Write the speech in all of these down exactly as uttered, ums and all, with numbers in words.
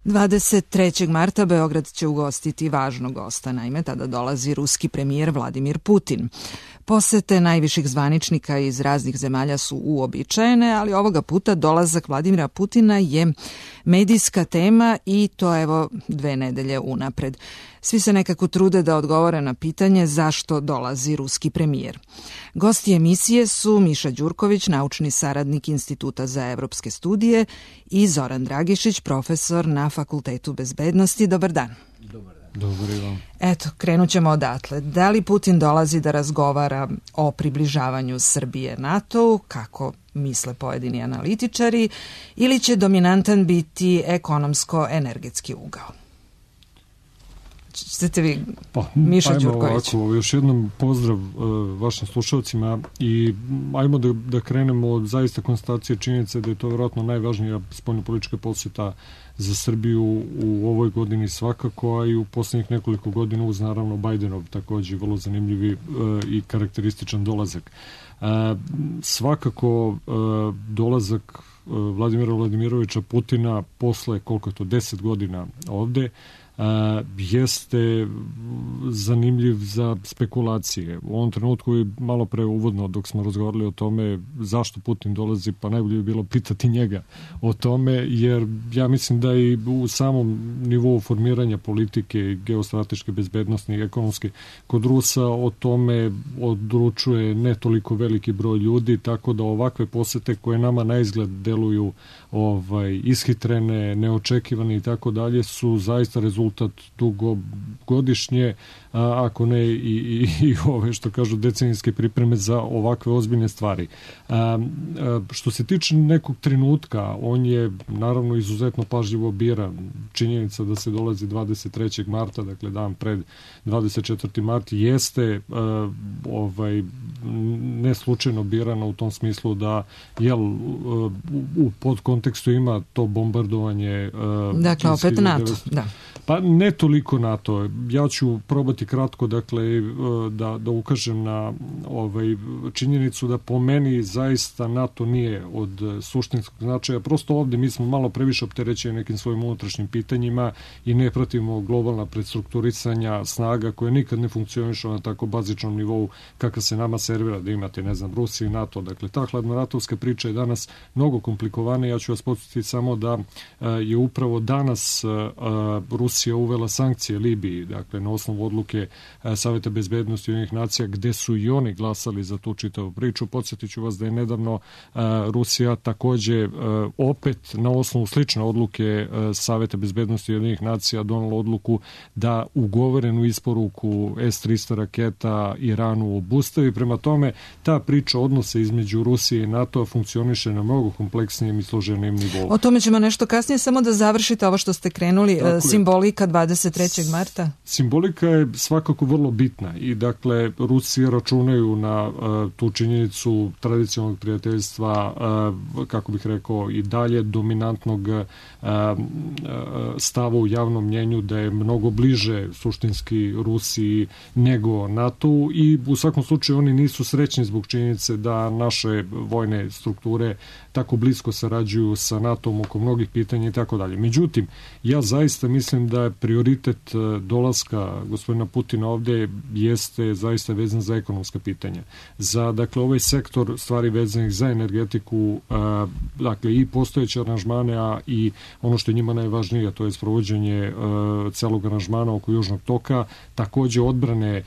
dvadeset trećeg marta Beograd će ugostiti važnog gosta, naime tada dolazi ruski premijer Vladimir Putin. Posete najviših zvaničnika iz raznih zemalja su uobičajene, ali ovoga puta dolazak Vladimira Putina je medijska tema i to evo dve nedelje unapred. Svi se nekako trude da odgovore na pitanje zašto dolazi ruski premijer. Gosti emisije su Miša Đurković, naučni saradnik Instituta za evropske studije, i Zoran Dragišić, profesor na Fakultetu bezbednosti. Dobar dan. Dobar dan. Dobar dan. Eto, krenut ćemo odatle. Da li Putin dolazi da razgovara o približavanju Srbije NATO-u, kako misle pojedini analitičari, ili će dominantan biti ekonomsko-energetski ugao? Ćete vi, pa, Miša ajmo Đurković? Ovako, još jednom pozdrav uh, vašim slušalcima i ajmo da, da krenemo od zaista konstatacije činjenice da je to vjerojatno najvažnija spoljnopolitička posjeta za Srbiju u ovoj godini svakako, a i u poslednjih nekoliko godina uz naravno Bajdenov takođe vrlo zanimljivi uh, i karakterističan dolazak. Uh, svakako uh, dolazak uh, Vladimira Vladimirovića Putina posle koliko je to deset godina ovde Uh, jeste zanimljiv za spekulacije. U ovom trenutku je malo pre uvodno dok smo razgovarali o tome zašto Putin dolazi, pa najbolje bi bilo pitati njega o tome, jer ja mislim da i u samom nivou formiranja politike, geostrateške, bezbednostne i ekonomske kod Rusa o tome odlučuje ne toliko veliki broj ljudi, tako da ovakve posete koje nama na izgled deluju ovaj, ishitrene, neočekivane i tako dalje su zaista rezultat dugogodišnje, a, ako ne i, i, i ove što kažu decenijske pripreme za ovakve ozbiljne stvari. A, a, što se tiče nekog trenutka, on je naravno izuzetno pažljivo bira. Činjenica da se dolazi dvadeset trećeg marta, dakle dan pred dvadeset četvrti mart, jeste a, ovaj, ne slučajno birana u tom smislu da jel, u, u podkontekstu ima to bombardovanje. A, dakle, opet NATO, da. Pa ne toliko NATO. Ja ću probati kratko, dakle, da, da ukažem na ovaj, činjenicu da po meni zaista NATO nije od suštinskog značaja. Prosto ovde mi smo malo previše opterećeni nekim svojim unutrašnjim pitanjima i ne pratimo globalna predstrukturisanja snaga koje nikad ne funkcionišu na tako bazičnom nivou kakav se nama servira da imate, ne znam, Rusija i NATO. Dakle, ta hladnoratovska priča je danas mnogo komplikovana. Ja ću vas podsjetiti samo da je upravo danas Rusija Rusija uvela sankcije Libiji, dakle na osnovu odluke Saveta bezbednosti Ujedinjenih nacija, gde su i oni glasali za tu čitavu priču. Podsjetit ću vas da je nedavno Rusija takođe opet na osnovu slične odluke Saveta bezbednosti Ujedinjenih nacija donala odluku da ugovorenu isporuku S tristo raketa Iranu obustavi. Prema tome, ta priča odnose između Rusije i NATO funkcioniše na mnogo kompleksnijem i složenijem nivou. O tome ćemo nešto kasnije, samo da završite ovo što ste krenuli, simboli dvadeset trećeg marta? Simbolika je svakako vrlo bitna i dakle Rusije računaju na uh, tu činjenicu tradicionalnog prijateljstva, uh, kako bih rekao i dalje dominantnog uh, uh, stava u javnom mnjenju da je mnogo bliže suštinski Rusiji nego NATO i u svakom slučaju oni nisu srećni zbog činjenice da naše vojne strukture tako blisko sarađuju sa NATO-om oko mnogih pitanja i tako dalje. Međutim, ja zaista mislim da je prioritet dolaska gospodina Putina ovde jeste zaista vezan za ekonomska pitanja. Za, dakle, ovaj sektor stvari vezanih za energetiku, dakle, i postojeće aranžmane, a i ono što je njima najvažnije, to je sprovođenje celog aranžmana oko Južnog toka, takođe odbrane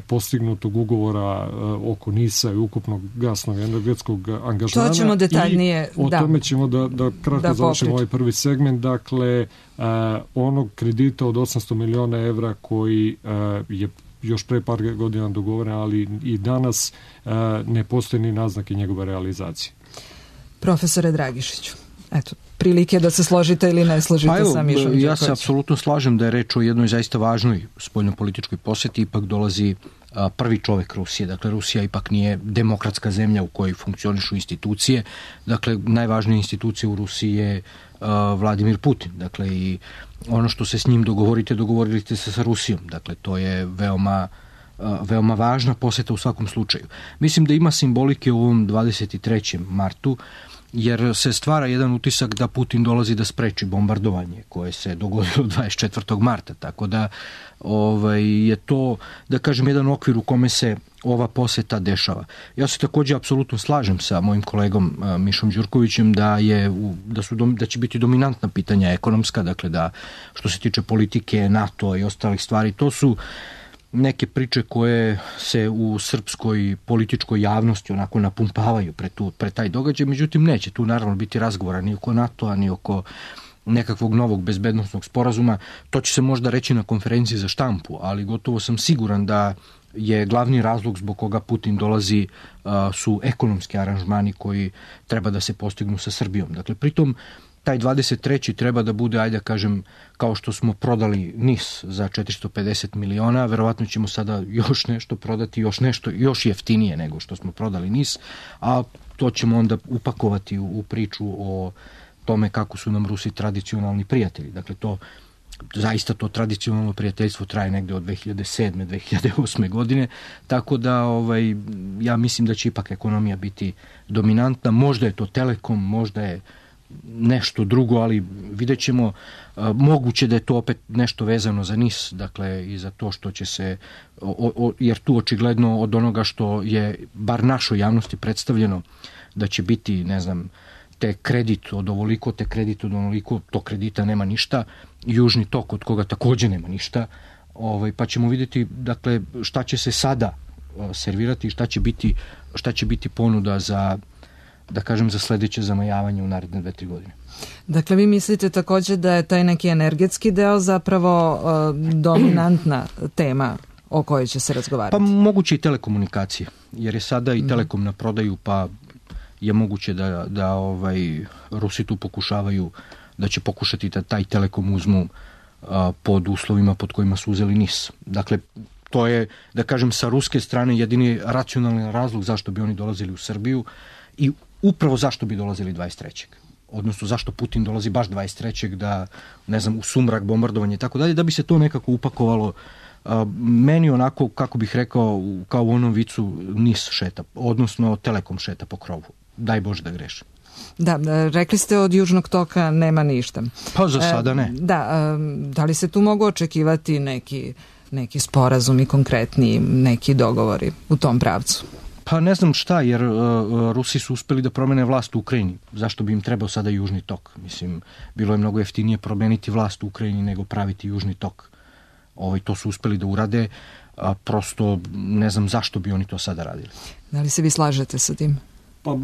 postignutog ugovora oko NIS-a i ukupnog gasnog energetskog angažmana. To ćemo detaljnije, o da. tome ćemo da, da kratko da završimo ovaj prvi segment. Dakle, onog kredita od osamsto miliona evra koji je još pre par godina dogovoren, ali i danas ne postoje ni naznake njegove realizacije. Profesore Dragišiću, eto, prilike da se složite ili ne složite pa evo, sa Mišom Đurkovićem. Ja se apsolutno slažem da je reč o jednoj zaista važnoj spoljnopolitičkoj poseti. Ipak dolazi a, prvi čovek Rusije. Dakle, Rusija ipak nije demokratska zemlja u kojoj funkcionišu institucije. Dakle, najvažnija institucija u Rusiji je a, Vladimir Putin. Dakle, i ono što se s njim dogovorite, dogovorite se sa Rusijom. Dakle, to je veoma veoma važna poseta u svakom slučaju. Mislim da ima simbolike u ovom dvadeset trećem martu, jer se stvara jedan utisak da Putin dolazi da spreči bombardovanje koje se dogodilo dvadeset četvrtog marta, tako da ovaj, je to, da kažem, jedan okvir u kome se ova poseta dešava. Ja se također apsolutno slažem sa mojim kolegom a, Mišom Đurkovićem da je da su da će biti dominantna pitanja ekonomska, dakle da što se tiče politike, NATO i ostalih stvari, to su neke priče koje se u srpskoj političkoj javnosti onako napumpavaju pre, tu, pre taj događaj, međutim neće tu naravno biti razgovora ni oko NATO-a, ni oko nekakvog novog bezbednosnog sporazuma. To će se možda reći na konferenciji za štampu, ali gotovo sam siguran da je glavni razlog zbog koga Putin dolazi uh, su ekonomski aranžmani koji treba da se postignu sa Srbijom. Dakle, pritom taj dvadeset treći treba da bude, ajde da kažem, kao što smo prodali NIS za četiristo pedeset miliona, verovatno ćemo sada još nešto prodati, još nešto, još jeftinije nego što smo prodali NIS, a to ćemo onda upakovati u, u priču o tome kako su nam Rusi tradicionalni prijatelji. Dakle, to zaista to tradicionalno prijateljstvo traje negde od dve hiljade sedme. dve hiljade osme. godine, tako da ovaj, ja mislim da će ipak ekonomija biti dominantna. Možda je to Telekom, možda je nešto drugo, ali vidjet ćemo. Moguće da je to opet nešto vezano za NIS, dakle i za to što će se, o, o, jer tu očigledno od onoga što je bar našoj javnosti predstavljeno da će biti, ne znam, te kredit od ovoliko, te kredit od onoliko, to kredita nema ništa, Južni tok od koga također nema ništa, ovaj, pa ćemo vidjeti, dakle, šta će se sada servirati i šta će biti, šta će biti ponuda za, da kažem, za sledeće zamajavanje u naredne dve, tri godine. Dakle, vi mislite također da je taj neki energetski deo zapravo uh, dominantna tema o kojoj će se razgovarati? Pa moguće i telekomunikacije, jer je sada i Telekom na prodaju, pa je moguće da, da ovaj, Rusi tu pokušavaju, da će pokušati da taj Telekom uzmu a, pod uslovima pod kojima su uzeli NIS. Dakle, to je, da kažem, sa ruske strane jedini racionalni razlog zašto bi oni dolazili u Srbiju i upravo zašto bi dolazili dvadeset trećeg Odnosno, zašto Putin dolazi baš dvadeset trećeg da, ne znam, u sumrak, bombardovanje i tako dalje, da bi se to nekako upakovalo. A, meni onako, kako bih rekao, kao u onom vicu NIS šeta, odnosno Telekom šeta po krovu. Daj Bože da grešim. Da, rekli ste od Južnog toka nema ništa. Pa za sada ne. E, da, da li se tu mogu očekivati neki, neki sporazumi konkretni, neki dogovori u tom pravcu? Pa ne znam šta, jer uh, Rusi su uspeli da promene vlast u Ukrajini. Zašto bi im trebao sada Južni tok? Mislim, bilo je mnogo jeftinije promeniti vlast u Ukrajini nego praviti Južni tok. Ovaj, to su uspeli da urade, a prosto ne znam zašto bi oni to sada radili. Da li se vi slažete sa tim? Pa,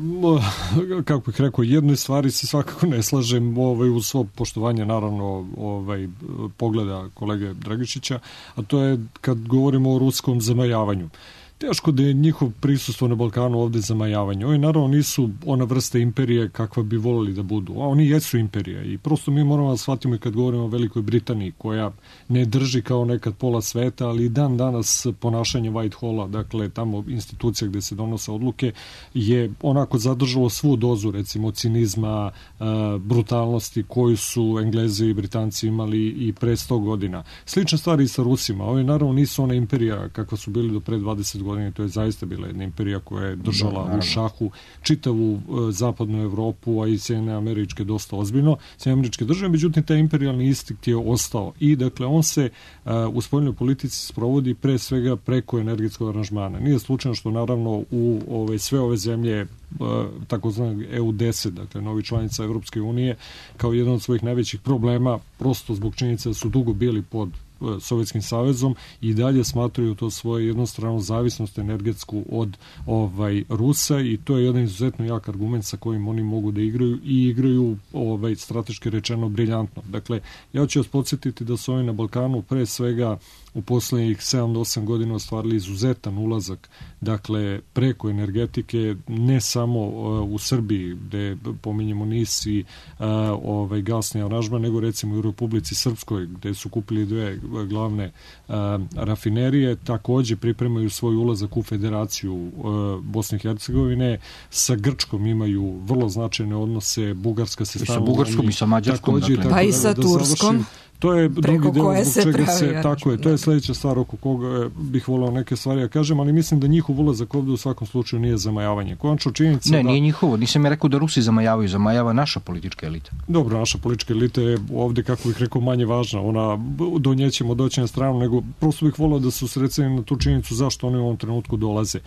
kako bih rekao, jednoj stvari se svakako ne slažem, ovaj, uz svo poštovanje, naravno, ovaj, pogleda kolege Dragišića, a to je kad govorimo o ruskom zamajavanju. Teško da je njihov prisustvo na Balkanu ovde zamajavanje. Oni naravno nisu ona vrsta imperije kakva bi volili da budu, a oni jesu imperija i prosto mi moramo da shvatimo i kad govorimo o Velikoj Britaniji, koja ne drži kao nekad pola sveta, ali i dan danas ponašanje Whitehala, dakle tamo institucija gde se donose odluke, je onako zadržalo svu dozu, recimo, cinizma, brutalnosti koju su Englezi i Britanci imali i pre sto godina. Slična stvar i sa Rusima. Ovi naravno nisu ona imperija kakva su bili do pre dvadeset godina. To je zaista bila jedna imperija koja je držala da, u šahu čitavu uh, zapadnu Evropu, a i Sjedinjene Američke dosta ozbiljno. Sjedinjene Američke države, međutim, taj imperijalni instinkt je ostao. I, dakle, on se uh, u spoljnoj politici sprovodi pre svega preko energetskog aranžmana. Nije slučajno što, naravno, u ove, sve ove zemlje takozvanog E U deset, dakle novi članica Evropske unije, kao jedan od svojih najvećih problema, prosto zbog činjenice da su dugo bili pod Sovjetskim savezom i dalje smatraju to svoje jednostranu zavisnost energetsku od ovaj Rusa i to je jedan izuzetno jak argument sa kojim oni mogu da igraju i igraju ovaj strateški rečeno briljantno. Dakle, ja ću vas podsjetiti da su oni na Balkanu pre svega u poslednjih sedam do osam godina ostvarili izuzetan ulazak, dakle, preko energetike, ne samo uh, u Srbiji, gde pominjemo NIS i uh, ovaj gasni aranžman, nego recimo u Republici Srpskoj, gde su kupili dve glavne uh, rafinerije, takođe pripremaju svoj ulazak u Federaciju uh, Bosne i Hercegovine, sa Grčkom imaju vrlo značajne odnose, Bugarska se stavila. I sa Bugarskom i sa Mađarskom. Takođe, dakle. Pa i sa da, Turskom. Da To je drugi deo zbog čega se, pravi, tako je, to je sledeća stvar oko koga bih volao neke stvari ja kažem, ali mislim da njihov ulazak ovde u svakom slučaju nije zamajavanje. Konačno činjenica Ne, da... nije njihovo, nisam ja rekao da Rusi zamajavaju, zamajava naša politička elita. Dobro, naša politička elita je ovde, kako bih rekao, manje važna. Ona, do nje ćemo doći na stranu, nego prosto bih volao da se usredstveni na tu činjenicu zašto oni u ovom trenutku dolaze.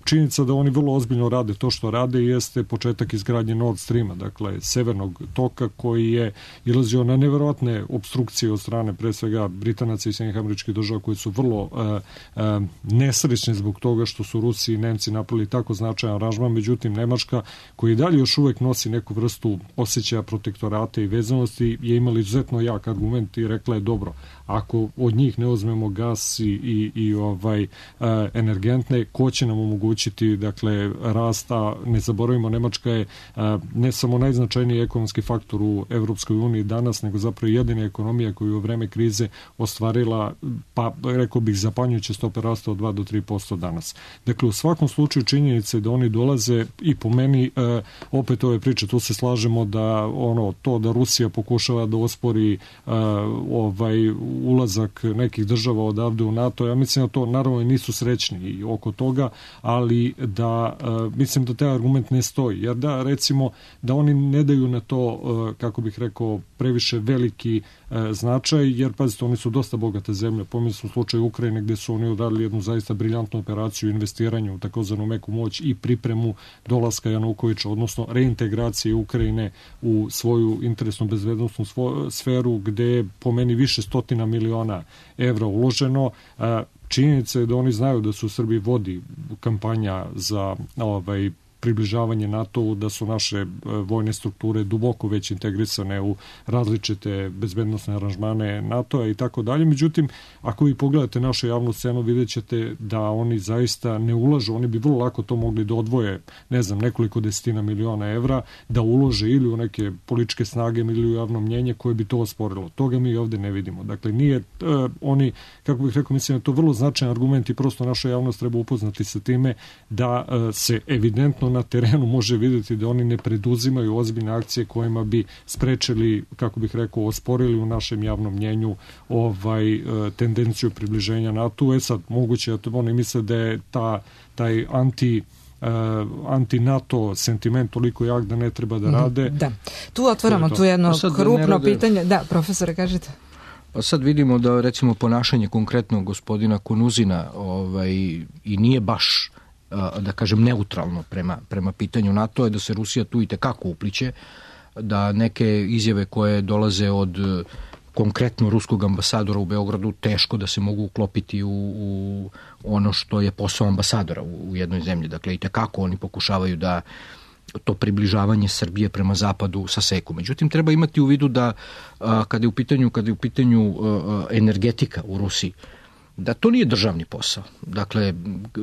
Činjenica da oni vrlo ozbiljno rade to što rade jeste početak izgradnje Nord Streama, dakle severnog toka koji je ilazio na neverovatne opstrukcije od strane pre svega Britanaca i Sjedinjenih Američkih Država koji su vrlo uh, uh, nesrećni zbog toga što su Rusi i Nemci napravili tako značajan aranžman, međutim Nemačka koji dalje još uvek nosi neku vrstu osjećaja protektorata i vezanosti je imala izuzetno jak argument i rekla je dobro, ako od njih ne uzmemo gas i, i, i ovaj uh, energentne, ko će nam omogućiti dakle rasta, ne zaboravimo Nemačka je uh, ne samo najznačajniji ekonomski faktor u Evropskoj uniji danas, nego zapravo jedina ekonomija koju u vreme krize ostvarila, pa rekao bih zapanjujuće stope rasta od dva do tri posto danas. Dakle, u svakom slučaju činjenice da oni dolaze i po meni uh, opet ove priče, tu se slažemo da ono to da Rusija pokušava da ospori uh, ovaj ulazak nekih država odavde u NATO, ja mislim da to naravno nisu srećni i oko toga, ali da uh, mislim da taj argument ne stoji, jer da recimo da oni ne daju na to, uh, kako bih rekao, previše veliki uh, značaj, jer pazite, oni su dosta bogate zemlje, pomislim u slučaju Ukrajine gde su oni uradili jednu zaista briljantnu operaciju investiranja u takozvanu meku moć i pripremu dolaska Janukovića, odnosno reintegracije Ukrajine u svoju interesnu bezbednostnu sferu gde je po meni više stotina miliona evra uloženo. Činjenica je da oni znaju da su u Srbiji vodi kampanja za ovaj približavanje NATO-u, da su naše vojne strukture duboko već integrisane u različite bezbednostne aranžmane NATO-a i tako dalje. Međutim, ako vi pogledate našu javnu scenu, vidjet ćete da oni zaista ne ulažu, oni bi vrlo lako to mogli da odvoje, ne znam, nekoliko desetina miliona evra, da ulože ili u neke političke snage ili u javno mnjenje koje bi to osporilo. Toga mi ovde ne vidimo. Dakle, nije uh, oni, kako bih rekao, mislim da je to vrlo značajan argument i prosto naša javnost treba upoznati sa time da uh, se evidentno na terenu može vidjeti da oni ne preduzimaju ozbiljne akcije kojima bi sprečili, kako bih rekao, osporili u našem javnom mnjenju ovaj tendenciju približenja NATO. E sad, moguće da oni misle da je ta, taj anti Uh, anti-NATO sentiment toliko jak da ne treba da rade. Da. Tu otvaramo tu jedno krupno rade... pitanje. Da, profesore, kažete. Pa sad vidimo da recimo ponašanje konkretno gospodina Konuzina ovaj, i nije baš da kažem neutralno prema, prema pitanju NATO, je da se Rusija tu i tekako upliće, da neke izjave koje dolaze od konkretno ruskog ambasadora u Beogradu teško da se mogu uklopiti u, u ono što je posao ambasadora u, u jednoj zemlji. Dakle, i tekako oni pokušavaju da to približavanje Srbije prema zapadu saseku. Međutim, treba imati u vidu da a, kada je u pitanju, kada je u pitanju a, energetika u Rusiji, da to nije državni posao. Dakle,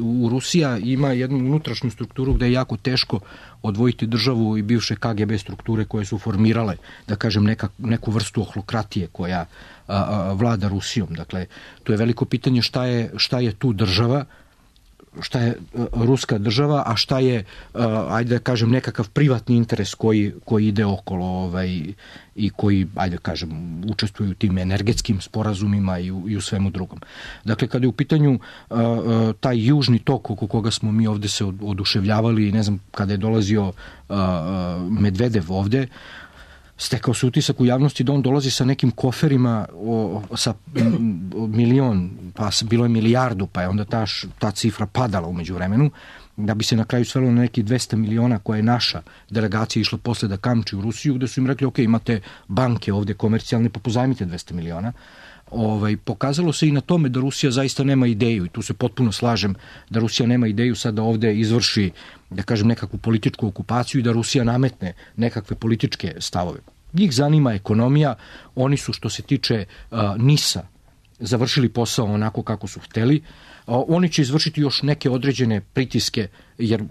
u Rusija ima jednu unutrašnju strukturu gde je jako teško odvojiti državu i bivše K G B strukture koje su formirale, da kažem, neka, neku vrstu ohlokratije koja a, a, vlada Rusijom. Dakle, to je veliko pitanje šta je, šta je tu država, šta je ruska država, a šta je, ajde da kažem, nekakav privatni interes koji, koji ide okolo ovaj, i koji, ajde da kažem, učestvuju u tim energetskim sporazumima i u, i u svemu drugom. Dakle, kada je u pitanju uh, taj južni tok oko koga smo mi ovde se oduševljavali, ne znam, kada je dolazio uh, Medvedev ovde, stekao se utisak u javnosti da on dolazi sa nekim koferima o, sa milion, pa bilo je milijardu, pa je onda ta, ta cifra padala umeđu vremenu, da bi se na kraju svelo na neki dvesta miliona koja je naša delegacija išla posle da kamči u Rusiju, gde su im rekli, ok, imate banke ovde komercijalne, pa pozajmite dvesta miliona. Ovaj, pokazalo se i na tome da Rusija zaista nema ideju, i tu se potpuno slažem da Rusija nema ideju sad da ovde izvrši, da kažem, nekakvu političku okupaciju i da Rusija nametne nekakve političke stavove. Njih zanima ekonomija, oni su što se tiče uh, NIS-a završili posao onako kako su hteli. Uh, oni će izvršiti još neke određene pritiske jer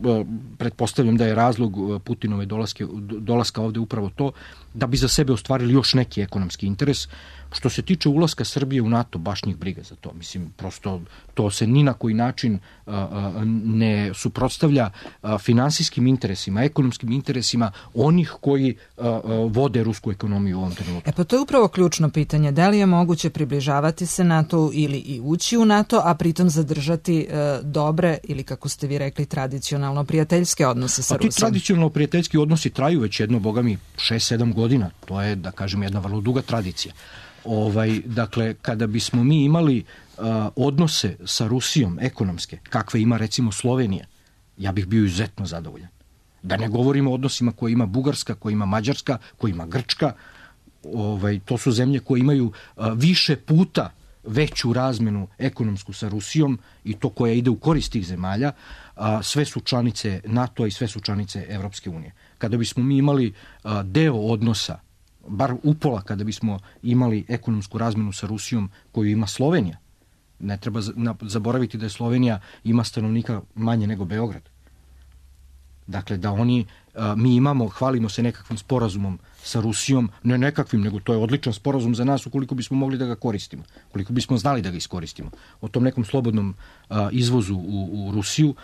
pretpostavljam da je razlog Putinove dolaske, dolaska ovde upravo to, da bi za sebe ostvarili još neki ekonomski interes. Što se tiče ulaska Srbije u NATO, baš njih briga za to. Mislim, prosto to se ni na koji način a, a, ne suprotstavlja a, finansijskim interesima, ekonomskim interesima onih koji a, a, vode rusku ekonomiju u ovom trenutku. E pa to je upravo ključno pitanje. Da li je moguće približavati se NATO ili i ući u NATO, a pritom zadržati e, dobre ili, kako ste vi rekli, tradicionalno prijateljske odnose sa Rusijom? A ti tradicionalno prijateljski odnosi traju već jedno, boga mi, šest sedam godina. To je, da kažem, jedna vrlo duga tradicija. Ovaj, dakle, kada bismo mi imali uh, odnose sa Rusijom ekonomske, kakve ima recimo Slovenija, ja bih bio izuzetno zadovoljan. Da ne govorimo o odnosima koje ima Bugarska, koje ima Mađarska, koje ima Grčka, ovaj, to su zemlje koje imaju uh, više puta veću razmenu ekonomsku sa Rusijom i to koja ide u korist tih zemalja, a sve su članice NATO i sve su članice Evropske unije. Kada bismo mi imali a, deo odnosa, bar upola kada bismo imali ekonomsku razmenu sa Rusijom koju ima Slovenija, ne treba zaboraviti da je Slovenija ima stanovnika manje nego Beograd. Dakle, da oni, a, mi imamo, hvalimo se nekakvim sporazumom sa Rusijom, ne nekakvim, nego to je odličan sporazum za nas ukoliko bismo mogli da ga koristimo, ukoliko bismo znali da ga iskoristimo. O tom nekom slobodnom a, izvozu u, u Rusiju,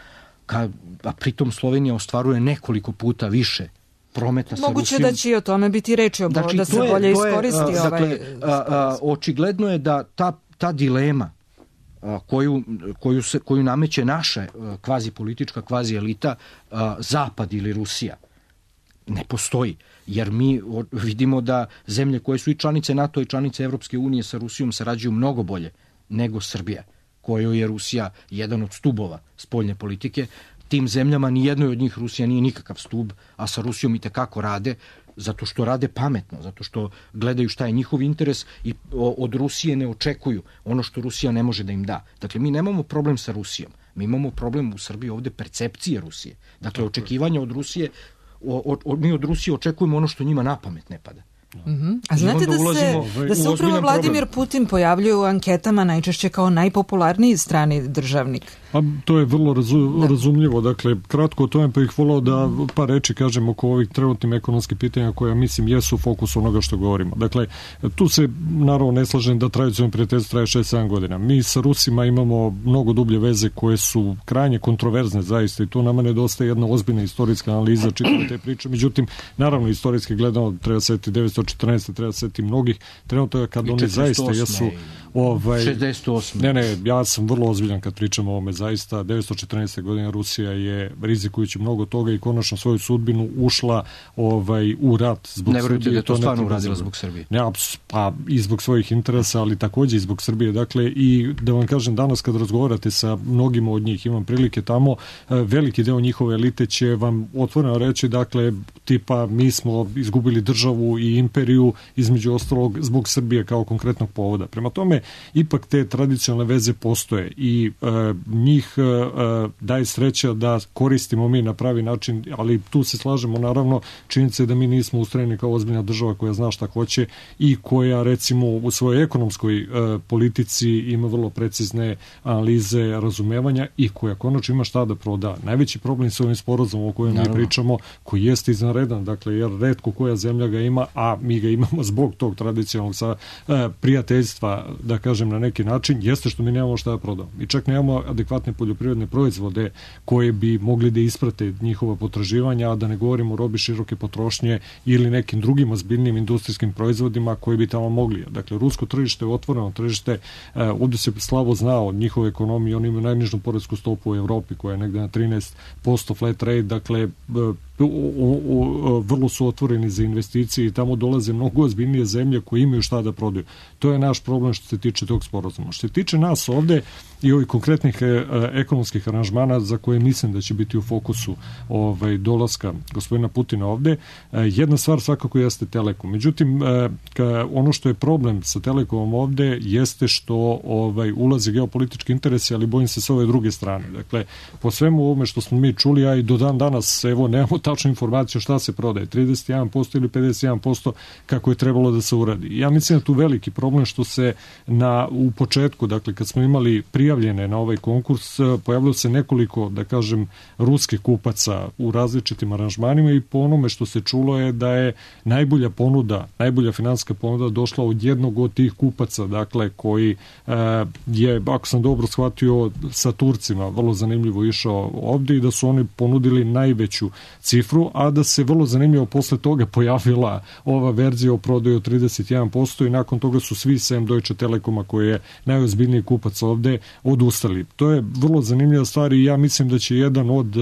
ka, a pritom Slovenija ostvaruje nekoliko puta više prometa sa Moguće Rusijom. Moguće da će i o tome biti reči, znači, da se je, bolje iskoristi je, ovaj dakle, a, a, očigledno je da ta, ta dilema a, koju, koju, se, koju nameće naša kvazi politička, kvazi elita, a, Zapad ili Rusija, ne postoji. Jer mi vidimo da zemlje koje su i članice NATO i članice Evropske unije sa Rusijom sarađuju mnogo bolje nego Srbija, kojoj je Rusija jedan od stubova spoljne politike. Tim zemljama nijednoj od njih Rusija nije nikakav stub, a sa Rusijom i tekako rade, zato što rade pametno, zato što gledaju šta je njihov interes i od Rusije ne očekuju ono što Rusija ne može da im da. Dakle, mi nemamo problem sa Rusijom, mi imamo problem u Srbiji ovde percepcije Rusije. Dakle, očekivanja od Rusije, o, o, mi od Rusije očekujemo ono što njima na pamet ne pada. Mm-hmm. A znate da se, da se upravo Vladimir problem. Putin pojavljuje u anketama najčešće kao najpopularniji strani državnik? A to je vrlo razu, da. razumljivo. Dakle, kratko o tome pa ih volao da par reči kažem oko ovih trenutnim ekonomskih pitanja koja mislim jesu fokus onoga što govorimo. Dakle, tu se naravno ne slažem da tradicionalno prijateljstvo traje šest sedam godina. Mi sa Rusima imamo mnogo dublje veze koje su krajnje kontroverzne zaista i tu nama nedostaje jedna ozbiljna istorijska analiza čitave te priče. Međutim, naravno, istorijski gledano treba setiti devetsto četrnaeste treba setiti mnogih trenutaka kad oni zaista jesu ovaj, šezdeset osme Ne, ne, ja sam vrlo ozbiljan kad pričam o ovome. Zaista, devetsto četrnaeste godine Rusija je, rizikujući mnogo toga i konačno svoju sudbinu, ušla ovaj, u rat zbog ne Srbije. Ne da je to, to stvarno uradila zbog Srbije. Ne, pa i zbog svojih interesa, ali takođe i zbog Srbije. Dakle, i da vam kažem, danas kad razgovarate sa mnogima od njih, imam prilike tamo, veliki deo njihove elite će vam otvoreno reći, dakle, tipa, mi smo izgubili državu i imperiju, između ostalog, zbog Srbije kao konkretnog povoda. Prema tome, ipak te tradicionalne veze postoje i e, njih e, daje sreća da koristimo mi na pravi način, ali tu se slažemo naravno, činjenica je da mi nismo ustrojeni kao ozbiljna država koja zna šta hoće i koja recimo u svojoj ekonomskoj e, politici ima vrlo precizne analize razumevanja i koja konačno ima šta da proda. Najveći problem sa ovim sporazumom o kojem mi pričamo, koji jeste izvanredan, dakle, jer retko koja zemlja ga ima, a mi ga imamo zbog tog tradicionalnog sa, e, prijateljstva, da kažem na neki način, jeste što mi nemamo šta da prodamo. Mi čak nemamo adekvatne poljoprivredne proizvode koje bi mogli da isprate njihova potraživanja, a da ne govorimo o robi široke potrošnje ili nekim drugim ozbiljnim industrijskim proizvodima koji bi tamo mogli. Dakle, rusko tržište je otvoreno tržište, e, ovdje se slabo zna od njihove ekonomije, oni imaju najnižu poresku stopu u Evropi koja je negde na trinaest posto flat rate, dakle, O, o, o, vrlo su otvoreni za investicije i tamo dolaze mnogo ozbiljnije zemlje koje imaju šta da prodaju. To je naš problem što se tiče tog sporazuma. Što se tiče nas ovde i ovih konkretnih e, ekonomskih aranžmana za koje mislim da će biti u fokusu ovaj, dolaska gospodina Putina ovde, e, jedna stvar svakako jeste Telekom. Međutim, e, ka, ono što je problem sa Telekomom ovde jeste što ovaj, ulazi geopolitički interesi, ali bojim se s ove druge strane. Dakle, po svemu ovome što smo mi čuli, a i do dan danas, evo, nemamo tačnu informaciju šta se prodaje, trideset jedan posto ili pedeset jedan posto kako je trebalo da se uradi. Ja mislim da tu veliki problem što se na, u početku, dakle kad smo imali prijavljene na ovaj konkurs, pojavilo se nekoliko, da kažem, ruskih kupaca u različitim aranžmanima i po onome što se čulo je da je najbolja ponuda, najbolja finansijska ponuda došla od jednog od tih kupaca, dakle koji e, je, ako sam dobro shvatio, sa Turcima vrlo zanimljivo išao ovde i da su oni ponudili najveću cifru, a da se vrlo zanimljivo posle toga pojavila ova verzija o prodaju od trideset jedan posto i nakon toga su svi sem Deutsche Telekoma koji je najozbiljniji kupac ovde odustali. To je vrlo zanimljiva stvar i ja mislim da će jedan od e,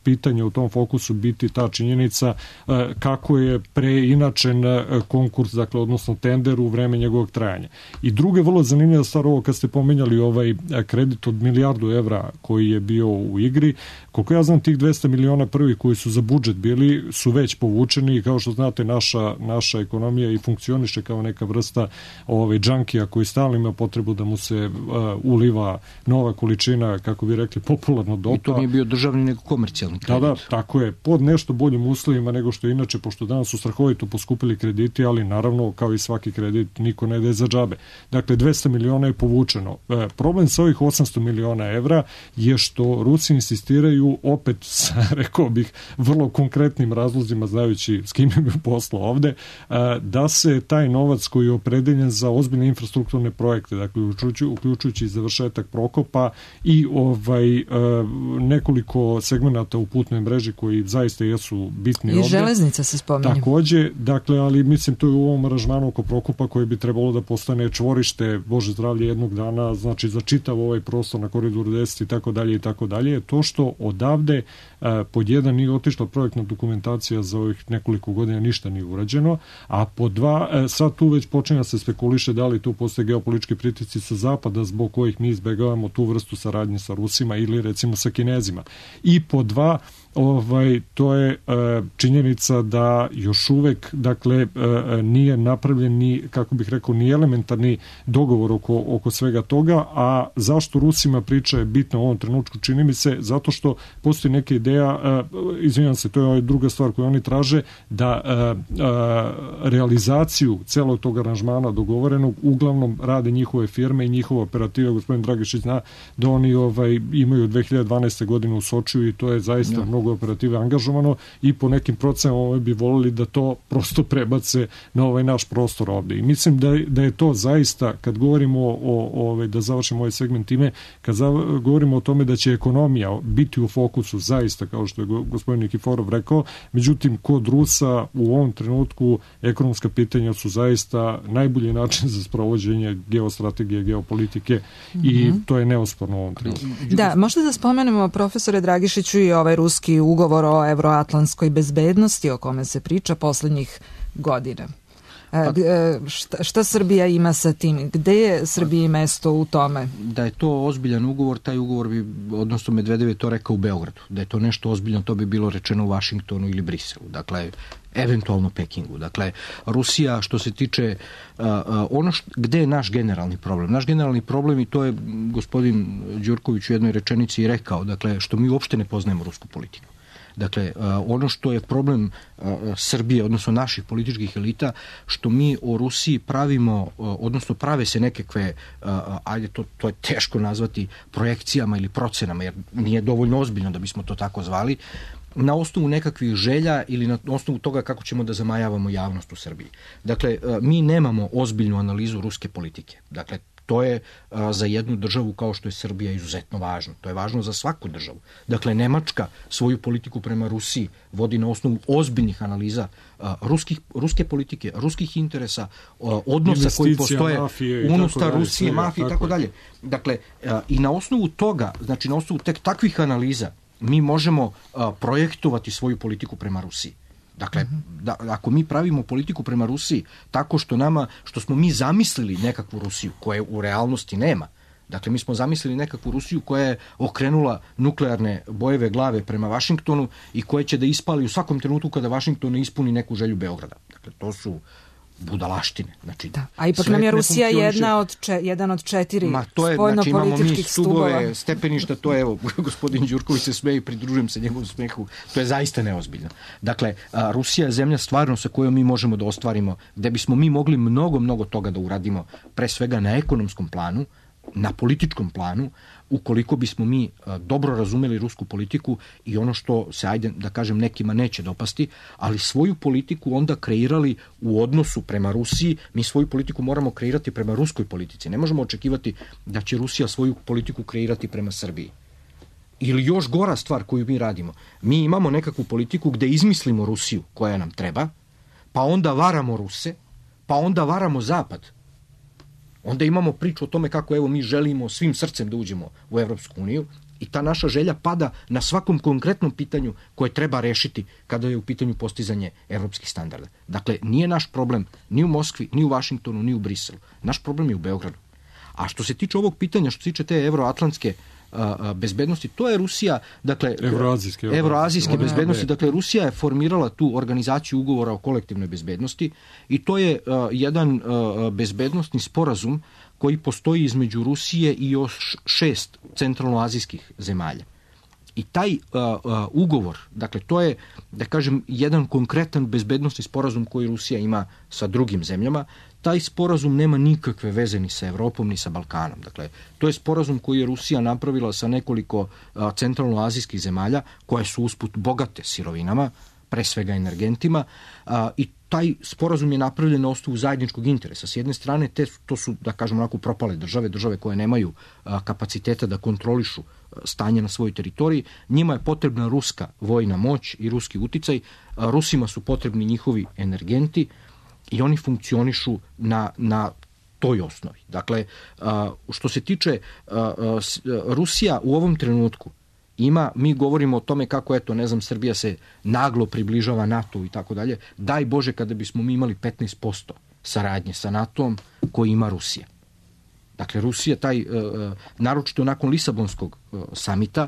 pitanja u tom fokusu biti ta činjenica e, kako je preinačen konkurs, dakle, odnosno tender u vreme njegovog trajanja. I druga vrlo zanimljiva stvar, ovo kad ste pomenjali ovaj kredit od milijardu evra koji je bio u igri, koliko ja znam tih dvesta miliona prvi koji su za budžet bili su već povučeni i kao što znate naša, naša ekonomija i funkcioniše kao neka vrsta ovaj, džankija koji stalno ima potrebu da mu se uh, uliva nova količina, kako bi rekli, popularno dopa. I to nije bio državni nego komercijalni kredit. Da, da, tako je, pod nešto boljim uslovima nego što je inače, pošto danas su strahovito poskupili krediti, ali naravno, kao i svaki kredit, niko ne daje za džabe. Dakle, dvesta miliona je povučeno. E, problem sa ovih osamsto miliona evra je što Rusi insistiraju opet, rekao bih, vrlo konkretnim razlozima, znajući s kim je posla ovde, a, da se taj novac koji je opredeljen za ozbiljne infrastrukturne projekte, dakle, uključujući, uključujući završetak Prokopa i ovaj a, nekoliko segmenata u putnoj mreži koji zaista jesu bitni I ovde. I železnica se spominje. Takođe, dakle, ali mislim to je u ovom aranžmanu oko Prokopa koji bi trebalo da postane čvorište, Bože zdravlje, jednog dana, znači za čitav ovaj prostor na Koridoru deset i tako dalje i tako dalje, to što odavde a, pod jedan nije otišla projektna dokumentacija za ovih nekoliko godina, ništa nije urađeno, a pod dva, a, sad tu već počinja se spekuliše da li tu postoje geopolitički pritisci sa zapada zbog kojih mi izbegavamo tu vrstu saradnje sa Rusima ili recimo sa Kinezima. I pod dva, ovaj, to je e, činjenica da još uvek, dakle, e, nije napravljen ni, kako bih rekao, ni elementarni dogovor oko, oko svega toga, a zašto Rusima priča je bitna u ovom trenutku, čini mi se, zato što postoji neka ideja, e, izvinjam se, to je druga stvar koju oni traže, da e, e, realizaciju celog tog aranžmana dogovorenog uglavnom rade njihove firme i njihova operativa, gospodin Dragišić zna da oni ovaj, imaju dve hiljade dvanaeste. godine u Sočiju i to je zaista no. mnogo operative angažovano i po nekim procenama bi volili da to prosto prebace na ovaj naš prostor ovde. I mislim da, da je to zaista, kad govorimo o, o, o da završimo ovaj segment time, kad za, govorimo o tome da će ekonomija biti u fokusu zaista, kao što je gospodin Nikiforov rekao, međutim, kod Rusa u ovom trenutku ekonomska pitanja su zaista najbolji način za sprovođenje geostrategije, geopolitike mm-hmm. i to je neosporno u ovom trenutku. Da, možda da spomenemo, profesore Dragišiću, i ovaj ruski ugovor o evroatlantskoj bezbednosti o kome se priča poslednjih godina. E, šta, šta Srbija ima sa tim? Gde je Srbiji mesto u tome? Da je to ozbiljan ugovor, taj ugovor bi, odnosno Medvedev je to rekao u Beogradu. Da je to nešto ozbiljno, to bi bilo rečeno u Vašingtonu ili Briselu. Dakle, eventualno Pekingu. Dakle, Rusija, što se tiče uh, ono što, gde je naš generalni problem? Naš generalni problem, i to je gospodin Đurković u jednoj rečenici i rekao, dakle, što mi uopšte ne poznajemo rusku politiku. Dakle, ono što je problem Srbije, odnosno naših političkih elita, što mi o Rusiji pravimo, odnosno prave se nekakve, ajde, to, to je teško nazvati projekcijama ili procenama, jer nije dovoljno ozbiljno da bismo to tako zvali, na osnovu nekakvih želja ili na osnovu toga kako ćemo da zamajavamo javnost u Srbiji. Dakle, mi nemamo ozbiljnu analizu ruske politike. Dakle, to je a, za jednu državu kao što je Srbija izuzetno važno. To je važno za svaku državu. Dakle, Nemačka svoju politiku prema Rusiji vodi na osnovu ozbiljnih analiza a, ruskih, ruske politike, ruskih interesa, a, odnosa koji postoje unutar Rusije, mafije i tako dalje. Dakle, a, i na osnovu toga, znači na osnovu tek takvih analiza, mi možemo a, projektovati svoju politiku prema Rusiji. Dakle, da, ako mi pravimo politiku prema Rusiji tako što nama, što smo mi zamislili nekakvu Rusiju koje u realnosti nema, dakle mi smo zamislili nekakvu Rusiju koja je okrenula nuklearne bojeve glave prema Vašingtonu i koja će da ispali u svakom trenutku kada Vašington ne ispuni neku želju Beograda. Dakle, to su budalaštine. Znači, da. A ipak nam je Rusija jedna od če, jedan od četiri spoljno-političkih znači, imamo mi stubove, stepeništa, to je, evo, gospodin Đurković se smeje i pridružujem se njegovom smehu, to je zaista neozbiljno. Dakle, a, Rusija je zemlja stvarno sa kojom mi možemo da ostvarimo, gde bismo mi mogli mnogo, mnogo toga da uradimo, pre svega na ekonomskom planu, na političkom planu, ukoliko bismo mi dobro razumeli rusku politiku i ono što se, ajde da kažem, nekima neće dopasti, ali svoju politiku onda kreirali u odnosu prema Rusiji. Mi svoju politiku moramo kreirati prema ruskoj politici. Ne možemo očekivati da će Rusija svoju politiku kreirati prema Srbiji. Ili još gora stvar koju mi radimo. Mi imamo nekakvu politiku gde izmislimo Rusiju koja nam treba, pa onda varamo Ruse, pa onda varamo Zapad. Onda imamo priču o tome kako evo mi želimo svim srcem da uđemo u Evropsku uniju i ta naša želja pada na svakom konkretnom pitanju koje treba rešiti kada je u pitanju postizanje evropskih standarda. Dakle, nije naš problem ni u Moskvi, ni u Vašingtonu, ni u Briselu. Naš problem je u Beogradu. A što se tiče ovog pitanja, što se tiče te evroatlantske a, bezbednosti, to je Rusija, dakle, evroazijske, evroazijske bezbednosti, dakle, Rusija je formirala tu organizaciju ugovora o kolektivnoj bezbednosti i to je a, jedan a, bezbednostni sporazum koji postoji između Rusije i još šest centralnoazijskih zemalja. I taj a, a, ugovor, dakle, to je, da kažem, jedan konkretan bezbednostni sporazum koji Rusija ima sa drugim zemljama. Taj sporazum nema nikakve veze ni sa Evropom, ni sa Balkanom. Dakle, to je sporazum koji je Rusija napravila sa nekoliko a, centralnoazijskih zemalja, koje su usput bogate sirovinama, pre svega energentima, a, i taj sporazum je napravljen na osnovu zajedničkog interesa. S jedne strane, te, to su, da kažem, onako propale države, države koje nemaju a, kapaciteta da kontrolišu a, stanje na svojoj teritoriji. Njima je potrebna ruska vojna moć i ruski uticaj. A, Rusima su potrebni njihovi energenti i oni funkcionišu na, na toj osnovi. Dakle, a, što se tiče a, a, Rusija u ovom trenutku ima, mi govorimo o tome kako, eto, ne znam, Srbija se naglo približava NATO i tako dalje. Daj Bože kada bismo mi imali petnaest posto saradnje sa NATO-om koji ima Rusija. Dakle, Rusija, taj, uh, naročito nakon Lisabonskog uh, samita...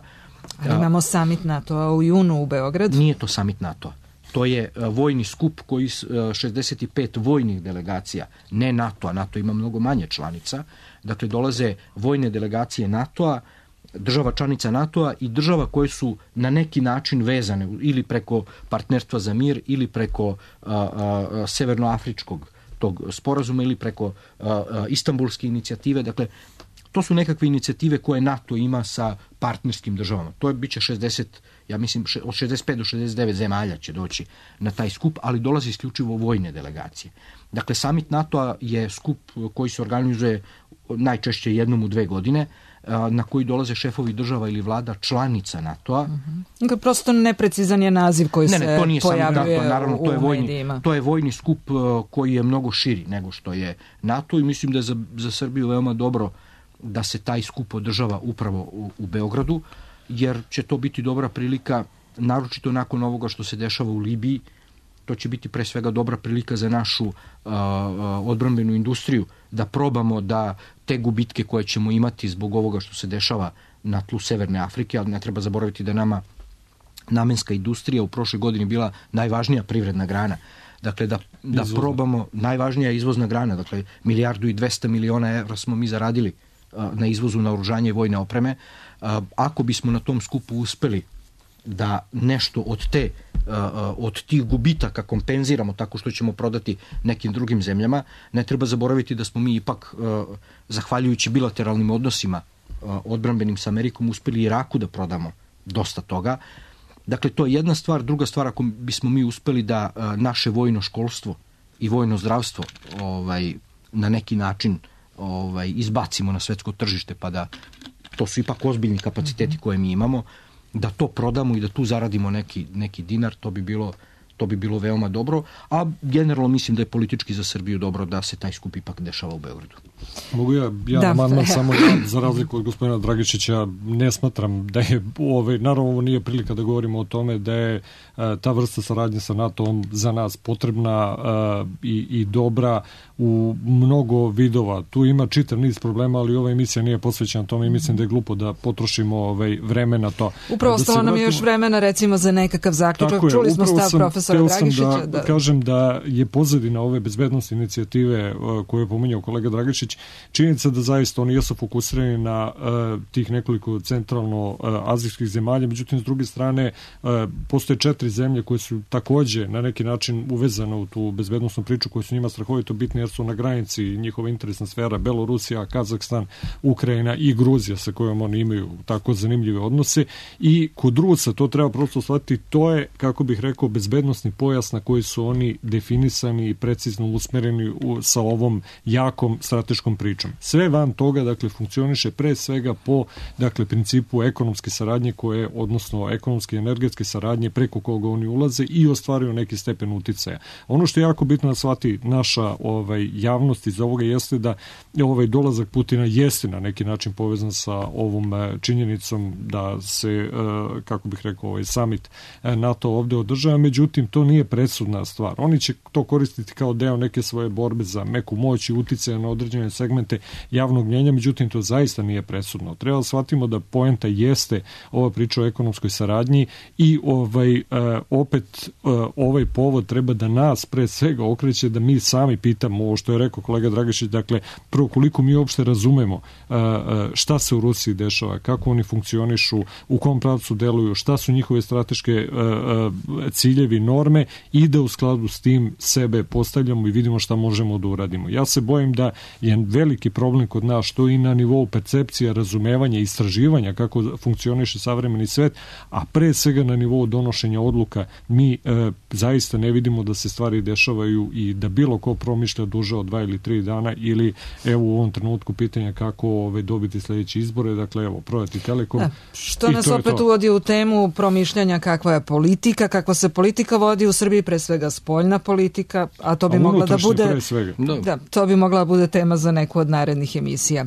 Ali imamo samit NATO-a u junu u Beogradu. Nije to samit NATO-a. To je uh, vojni skup koji uh, šezdeset pet vojnih delegacija, ne NATO-a. NATO ima mnogo manje članica. Dakle, dolaze vojne delegacije NATO-a, država članica NATO-a i država koje su na neki način vezane ili preko partnerstva za mir ili preko a, a, severnoafričkog tog sporazuma ili preko a, a, istambulske inicijative. Dakle, to su nekakve inicijative koje NATO ima sa partnerskim državama. To je biće šezdeset, ja mislim, od šezdeset pet do šezdeset devet zemalja će doći na taj skup, ali dolazi isključivo vojne delegacije. Dakle, samit NATO-a je skup koji se organizuje najčešće jednom u dve godine, na koji dolaze šefovi država ili vlada članica NATO-a. Uh-huh. Prosto neprecizan je naziv koji ne, ne, se to nije pojavljuje NATO, naravno, to je u vojni, medijima. To je vojni skup koji je mnogo širi nego što je NATO i mislim da je za, za Srbiju veoma dobro da se taj skup održava upravo u, u Beogradu, jer će to biti dobra prilika, naročito nakon ovoga što se dešava u Libiji. To će biti pre svega dobra prilika za našu uh, odbrambenu industriju da probamo da te gubitke koje ćemo imati zbog ovoga što se dešava na tlu Severne Afrike, ali ne treba zaboraviti da nama namenska industrija u prošloj godini bila najvažnija privredna grana. Dakle, da, da probamo, najvažnija izvozna grana, dakle, milijardu i dvesta miliona evra smo mi zaradili uh, na izvozu naoružanja i vojne opreme. Uh, ako bismo na tom skupu uspeli da nešto od te od tih gubitaka kompenziramo tako što ćemo prodati nekim drugim zemljama, ne treba zaboraviti da smo mi ipak, zahvaljujući bilateralnim odnosima odbrambenim sa Amerikom, uspeli Iraku da prodamo dosta toga. Dakle, to je jedna stvar. Druga stvar, ako bismo mi uspeli da naše vojno školstvo i vojno zdravstvo ovaj, na neki način ovaj, izbacimo na svetsko tržište, pa da to su ipak ozbiljni kapaciteti koje mi imamo, da to prodamo i da tu zaradimo neki, neki dinar, to bi bilo to bi bilo veoma dobro, a generalno mislim da je politički za Srbiju dobro da se taj skup ipak dešava u Beogradu. Mogu ja, ja da, amandman samo ja, za razliku od gospodina Dragišića, ne smatram da je, ovaj, naravno ovo nije prilika da govorimo o tome da je a, ta vrsta saradnje sa NATO-om za nas potrebna a, i, i dobra u mnogo vidova. Tu ima čitav niz problema, ali ova emisija nije posvećena tome i mislim da je glupo da potrošimo ovaj, vreme na to. Upravo ostalo da nam je još vremena recimo za nekakav zaključak. Je, Čuli smo stav sam, profesora Dragišića. Da, da kažem da je pozadina ove bezbednostne inicijative koje je pominjao kolega Dragišić, činjenica da zaista oni jesu fokusirani na uh, tih nekoliko centralno uh, azijskih zemalja, međutim s druge strane uh, postoje četiri zemlje koje su takođe na neki način uvezane u tu bezbednostnu priču koja su njima strahovito bitne jer su na granici njihova interesna sfera Belorusija, Kazahstan, Ukrajina i Gruzija sa kojom oni imaju tako zanimljive odnose i kod Rusa to treba prosto shvatiti, to je kako bih rekao bezbednosni pojas na koji su oni definisani i precizno usmereni u, sa ovom jakom strateškom pričom. Sve van toga, dakle, funkcioniše pre svega po, dakle, principu ekonomske saradnje koje, odnosno ekonomske i energetske saradnje preko koga oni ulaze i ostvaruju neki stepen uticaja. Ono što je jako bitno da shvati naša ovaj, javnost iz ovoga jeste da ovaj dolazak Putina jeste na neki način povezan sa ovom činjenicom da se, kako bih rekao, ovaj summit NATO ovde održava, međutim, to nije presudna stvar. Oni će to koristiti kao deo neke svoje borbe za meku moć i uticaja na određene segmente javnog mnjenja, međutim to zaista nije presudno. Treba da shvatimo da poenta jeste ova priča o ekonomskoj saradnji i ovaj, uh, opet uh, ovaj povod treba da nas pre svega okreće da mi sami pitamo ovo što je rekao kolega Dragišić, dakle prvo koliko mi uopšte razumemo uh, šta se u Rusiji dešava, kako oni funkcionišu, u kom pravcu deluju, šta su njihove strateške uh, uh, ciljevi, norme i da u skladu s tim sebe postavljamo i vidimo šta možemo da uradimo. Ja se bojim da je veliki problem kod nas što i na nivou percepcija, razumevanja, istraživanja kako funkcioniše savremeni svet, a pre svega na nivou donošenja odluka mi e, zaista ne vidimo da se stvari dešavaju i da bilo ko promišlja duže od dva ili tri dana ili evo u ovom trenutku pitanja kako ove, dobiti sledeće izbore, dakle evo prodati Telekom. Da, što nas opet uvodi u temu promišljanja kakva je politika, kakva se politika vodi u Srbiji, pre svega spoljna politika, a to bi a mogla da bude da. da, to bi mogla da bude tema za neku od narednih emisija.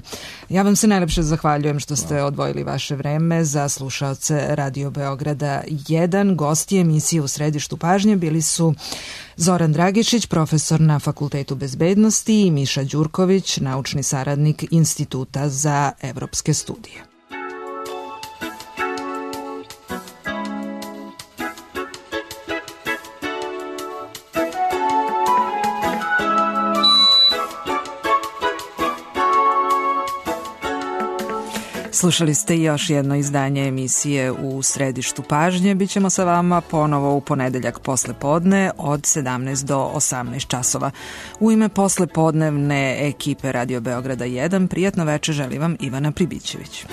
Ja vam se najlepše zahvaljujem što ste odvojili vaše vreme za slušaoce Radio Beograda jedan. Gosti emisije u središtu pažnje bili su Zoran Dragišić, profesor na Fakultetu bezbednosti i Miša Đurković, naučni saradnik Instituta za evropske studije. Slušali ste još jedno izdanje emisije u središtu pažnje. Bićemo sa vama ponovo u ponedeljak posle podne od sedamnaest do osamnaest časova. U ime poslepodnevne ekipe Radio Beograda jedan prijatno veče želi vam Ivana Pribićević.